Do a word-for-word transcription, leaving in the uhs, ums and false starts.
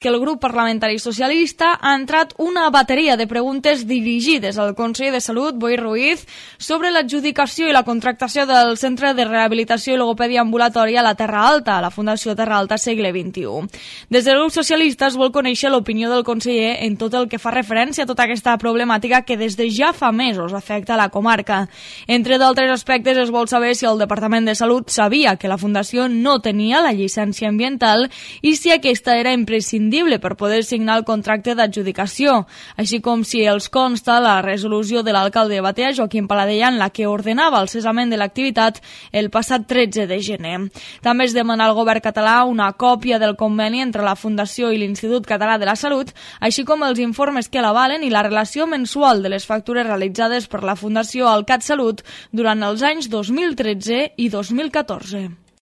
que el grup parlamentari socialista ha entrat una bateria de preguntes dirigides al conseller de Salut, Boi Ruiz, sobre l'adjudicació i la contractació del Centre de Rehabilitació i Logopèdia Ambulatòria a la Terra Alta, a la Fundació Terra Alta Segle vint-i-u. Des del grup socialista es vol conèixer l'opinió del conseller en tot el que fa referència a tota aquesta problemàtica que des de ja fa mesos afecta la comarca. Entre d'altres aspectes es vol saber si el Departament de Salut sabia que la Fundació no tenia la llicència ambiental i si aquesta era imprescindible per poder signar el contracte d'adjudicació, així com si els consta la resolució de l'alcalde de Batea, Joaquim Paladella, en la que ordenava el cessament de l'activitat el passat tretze de gener. També es demana al govern català una còpia del conveni entre la Fundació i l'Institut Català de la Salut, així com els informes que l'avalen i la relació mensual de les factures realitzades per la Fundació al CatSalut durant els anys dos mil tretze i dos mil catorze.